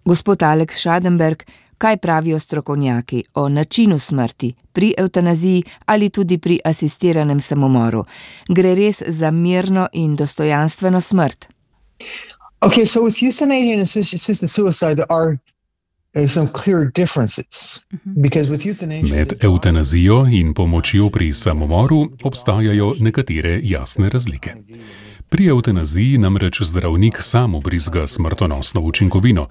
Gospod Alex Schadenberg, kaj pravijo strokovnjaki o načinu smrti pri evtanaziji ali tudi pri asistiranem samomoru? Gre res za mirno in dostojanstveno smrt? Okay, so with euthanasia and assisted suicide there are some clear differences. Because with euthanasia... Med evtanazijo in pomočjo pri samomoru obstajajo nekatere jasne razlike. Pri evtanaziji namreč zdravnik sam vbrizga smrtonosno učinkovino,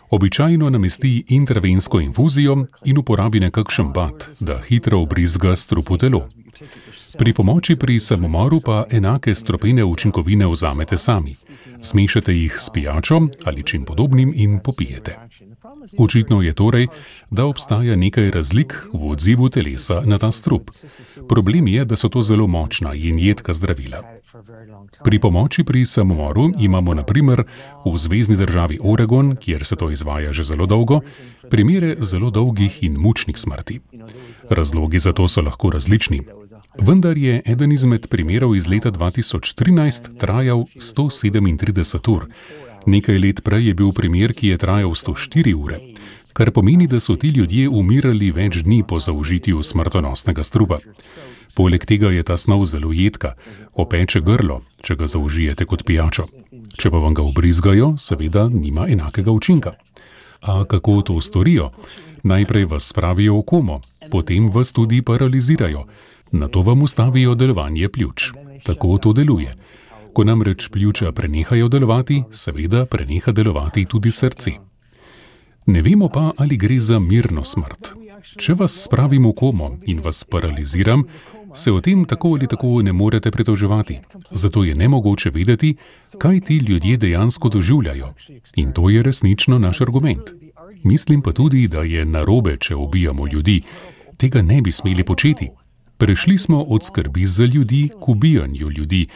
običajno namesti intravensko infuzijo in uporabi nekakšen bat, da hitro vbrizga strup v telo. Pri pomoči pri samomoru pa enake strupene učinkovine vzamete sami, smešate jih s pijačo ali čim podobnim in popijete. Očitno je torej, da obstaja nekaj razlik v odzivu telesa na ta strup. Problem je, da so to zelo močna in jedka zdravila. Pri pomoči pri samomoru imamo na primer v zvezni državi Oregon, kjer se to izvaja že zelo dolgo, primere zelo dolgih in mučnih smrti. Razlogi za to so lahko različni. Vendar je eden izmed primerov iz leta 2013 trajal 137 ur. Nekaj let prej je bil primer, ki je trajal 104 ure, kar pomeni, da so ti ljudje umirali več dni po zaužitju smrtonosnega strupa. Poleg tega je ta snov zelo jedka, opeče grlo, če ga zaužijete kot pijačo. Če pa vam ga vbrizgajo, seveda nima enakega učinka. A kako to storijo? Najprej vas spravijo v komo, potem vas tudi paralizirajo. Nato vam ustavijo delovanje pljuč. Tako to deluje. Ko namreč pljuča prenehajo delovati, seveda preneha delovati tudi srce. Ne vemo pa, ali gre za mirno smrt. Če vas spravim v komo in vas paraliziram, se o tem tako ali tako ne morete pritoževati. Zato je nemogoče vedeti, kaj ti ljudje dejansko doživljajo. In to je resnično naš argument. Mislim pa tudi, da je narobe, če ubijamo ljudi. Tega ne bi smeli početi. Prešli smo od skrbi za ljudi k ubijanju ljudi.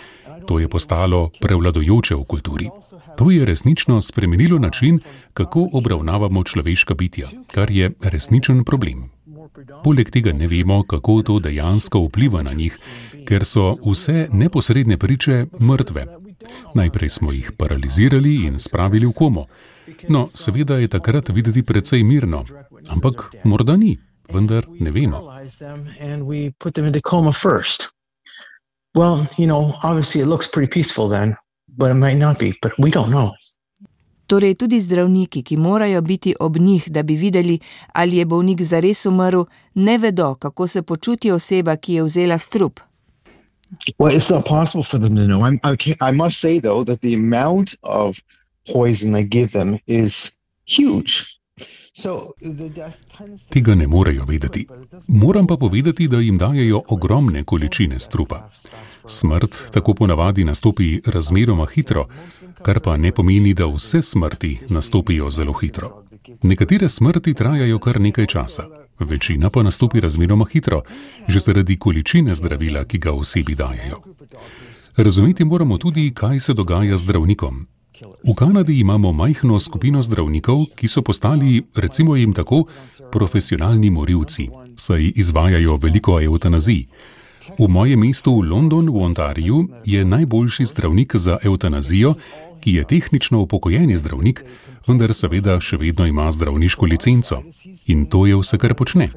To je postalo prevladujoče v kulturi. To je resnično spremenilo način, kako obravnavamo človeška bitja, kar je resničen problem. Poleg tega ne vemo, kako to dejansko vpliva na njih, ker so vse neposredne priče mrtve. Najprej smo jih paralizirali in spravili v komo. No, seveda je takrat videti precej mirno, ampak morda ni, vendar ne vemo. Well, obviously it looks pretty peaceful then, but it might not be, but we don't know. Torej tudi zdravniki, ki morajo biti ob njih, da bi videli, ali je bolnik zares umrl, ne vedo, kako se počuti oseba, ki je vzela strup. Well, it's not possible for them to know. I must say, though, that the amount of poison they give them is huge. Tega ne morejo vedeti. Moram pa povedati, da jim dajejo ogromne količine strupa. Smrt tako ponavadi nastopi razmeroma hitro, kar pa ne pomeni, da vse smrti nastopijo zelo hitro. Nekatere smrti trajajo kar nekaj časa, večina pa nastopi razmeroma hitro, že zaradi količine zdravila, ki ga osebi dajejo. Razumeti moramo tudi, kaj se dogaja z zdravnikom. V Kanadi imamo majhno skupino zdravnikov, ki so postali, recimo jim tako, profesionalni morilci, saj izvajajo veliko evtanazij. V mojem mestu London v Ontariju je najboljši zdravnik za evtanazijo, ki je tehnično upokojeni zdravnik, vendar seveda še vedno ima zdravniško licenco. In to je vse, kar počne.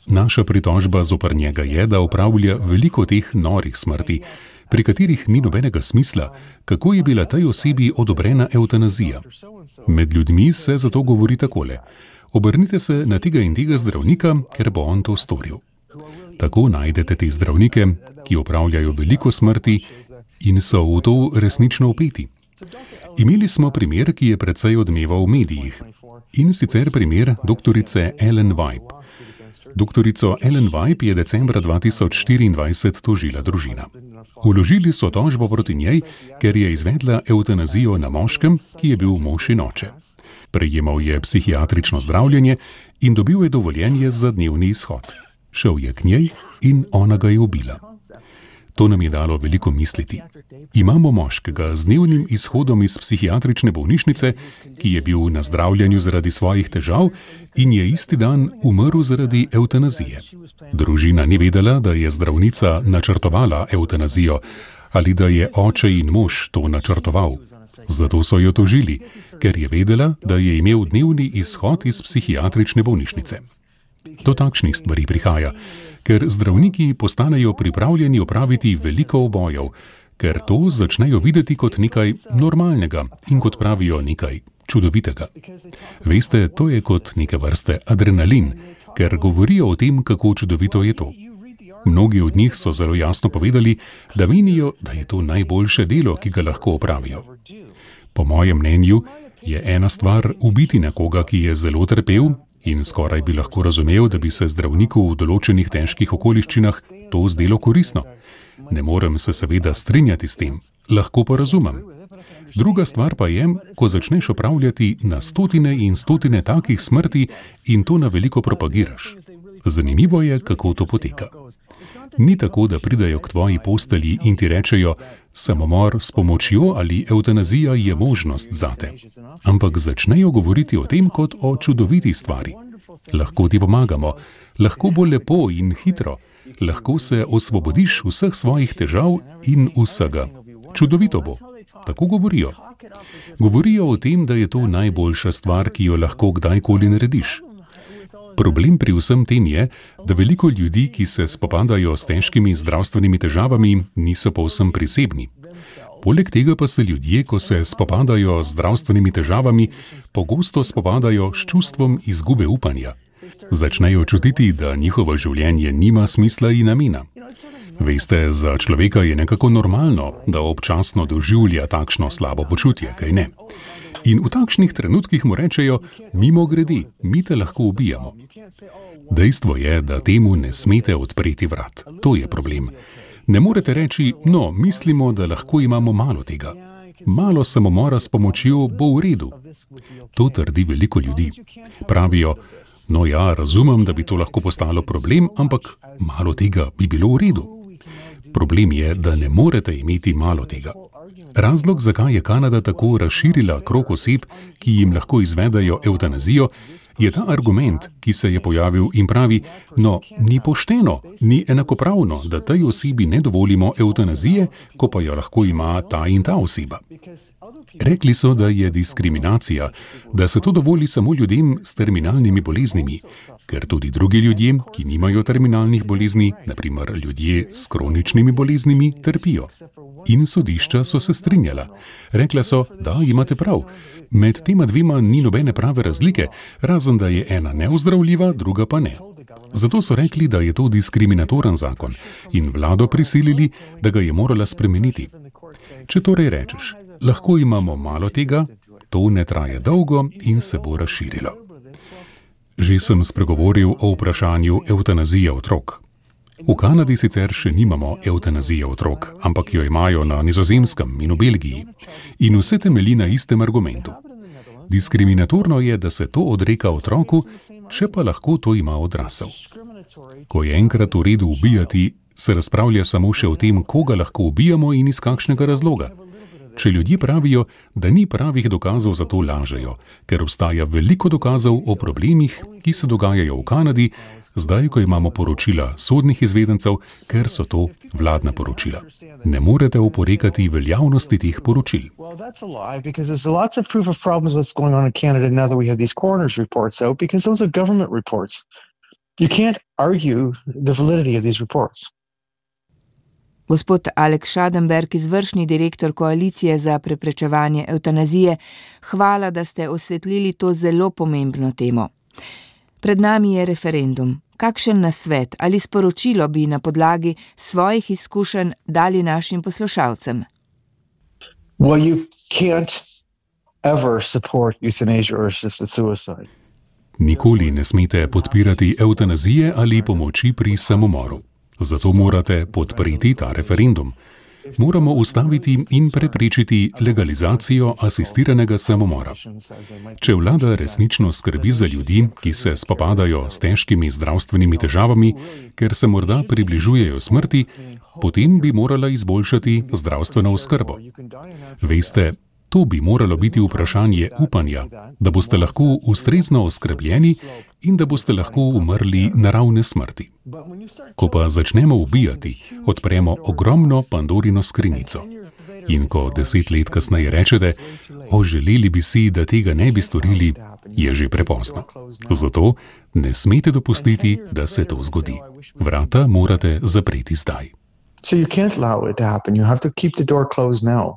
Naša pritožba zoper njega je, da opravlja veliko teh norih smrti, pri katerih ni nobenega smisla, kako je bila tej osebi odobrena evtanazija. Med ljudmi se zato govori takole: obrnite se na tega in tega zdravnika, ker bo on to storil. Tako najdete te zdravnike, ki opravljajo veliko smrti in so v to resnično vpeti. Imeli smo primer, ki je precej odmeval v medijih, in sicer primer doktorice Ellen Wipe. Doktorico Ellen Wipe je decembra 2024 tožila družina. Vložili so tožbo proti njej, ker je izvedla evtanazijo na moškem, ki je bil mož in oče. Prejemal je psihiatrično zdravljenje in dobil je dovoljenje za dnevni izhod. Šel je k njej in ona ga je ubila. To nam je dalo veliko misliti. Imamo moškega z dnevnim izhodom iz psihiatrične bolnišnice, ki je bil na zdravljenju zaradi svojih težav in je isti dan umrl zaradi evtanazije. Družina ni vedela, da je zdravnica načrtovala evtanazijo ali da je oče in mož to načrtoval. Zato so jo tožili, ker je vedela, da je imel dnevni izhod iz psihiatrične bolnišnice. Do takšnih stvari prihaja, ker zdravniki postanejo pripravljeni opraviti veliko obojev, ker to začnejo videti kot nekaj normalnega in kot pravijo nekaj čudovitega. Veste, to je kot neke vrste adrenalin, ker govorijo o tem, kako čudovito je to. Mnogi od njih so zelo jasno povedali, da menijo, da je to najboljše delo, ki ga lahko opravijo. Po mojem mnenju je ena stvar ubiti nekoga, ki je zelo trpel, in skoraj bi lahko razumel, da bi se zdravniku v določenih težkih okoliščinah to zdelo koristno. Ne morem se seveda strinjati s tem, lahko pa razumem. Druga stvar pa je, ko začneš opravljati na stotine in stotine takih smrti in to na veliko propagiraš. Zanimivo je, kako to poteka. Ni tako, da pridejo k tvoji postelji in ti rečejo, samomor s pomočjo ali evtanazija je možnost zate. Ampak začnejo govoriti o tem kot o čudoviti stvari. Lahko ti pomagamo, lahko bo lepo in hitro, lahko se osvobodiš vseh svojih težav in vsega. Čudovito bo. Tako govorijo. Govorijo o tem, da je to najboljša stvar, ki jo lahko kdajkoli narediš. Problem pri vsem tem je, da veliko ljudi, ki se spopadajo s težkimi zdravstvenimi težavami, niso povsem prisebni. Poleg tega pa se ljudje, ko se spopadajo z zdravstvenimi težavami, pogosto spopadajo s čustvom izgube upanja. Začnejo čutiti, da njihovo življenje nima smisla in namena. Veste, za človeka je nekako normalno, da občasno doživlja takšno slabo počutje, kaj ne? In v takšnih trenutkih mu rečejo, mimogrede, mi te lahko ubijamo. Dejstvo je, da temu ne smete odpreti vrat. To je problem. Ne morete reči, no, mislimo, da lahko imamo malo tega. Malo samomora s pomočjo bo v redu. To trdi veliko ljudi. Pravijo, no ja, razumem, da bi to lahko postalo problem, ampak malo tega bi bilo v redu. Problem je, da ne morete imeti malo tega. Razlog, zakaj je Kanada tako razširila krog oseb, ki jim lahko izvedajo evtanazijo, je ta argument, ki se je pojavil in pravi, no, ni pošteno, ni enakopravno, da tej osebi ne dovolimo evtanazije, ko pa jo lahko ima ta in ta oseba. Rekli so, da je diskriminacija, da se to dovoli samo ljudem s terminalnimi boleznimi, ker tudi drugi ljudje, ki nimajo terminalnih bolezni, naprimer ljudje s kroničnimi boleznimi, trpijo. In sodišča so se strinjala. Rekla so, da imate prav. Med tema dvema ni nobene prave razlike, razen da je ena neozdravljiva, druga pa ne. Zato so rekli, da je to diskriminatoren zakon in vlado prisilili, da ga je morala spremeniti. Če torej rečeš, lahko imamo malo tega, to ne traje dolgo in se bo razširilo. Že sem spregovoril o vprašanju evtanazije otrok. V Kanadi sicer še nimamo evtanazije otrok, ampak jo imajo na Nizozemskem in v Belgiji. In vse temelji na istem argumentu. Diskriminatorno je, da se to odreka otroku, če pa lahko to ima odrasel. Ko je enkrat v redu ubijati, se razpravlja samo še o tem, koga lahko ubijamo in iz kakšnega razloga. Če ljudje pravijo, da ni pravih dokazov, za to lažejo, ker obstaja veliko dokazov o problemih, ki se dogajajo v Kanadi, zdaj, ko imamo poročila sodnih izvedencev, ker so to vladna poročila. Ne morete oporekati veljavnosti teh poročil. Gospod Alex Schadenberg, izvršni direktor Koalicije za preprečevanje evtanazije, hvala, da ste osvetlili to zelo pomembno temo. Pred nami je referendum. Kakšen nasvet ali sporočilo bi na podlagi svojih izkušenj dali našim poslušalcem? Well, you can't ever support euthanasia or assisted suicide. Nikoli ne smete podpirati evtanazije ali pomoči pri samomoru. Zato morate podpreti ta referendum. moramo ustaviti in preprečiti legalizacijo asistiranega samomora. Če vlada resnično skrbi za ljudi, ki se spopadajo s težkimi zdravstvenimi težavami, ker se morda približujejo smrti, potem bi morala izboljšati zdravstveno oskrbo. Veste, to bi moralo biti vprašanje upanja, da boste lahko ustrezno oskrbljeni in da boste lahko umrli naravne smrti. Ko pa začnemo ubijati, odpremo ogromno Pandorino skrinjico. In ko 10 let kasneje rečete, želeli bi si, da tega ne bi storili, je že prepozno. Zato ne smete dopustiti, da se to zgodi. Vrata morate zapreti zdaj. So you can't allow it to happen. You have to keep the door closed now.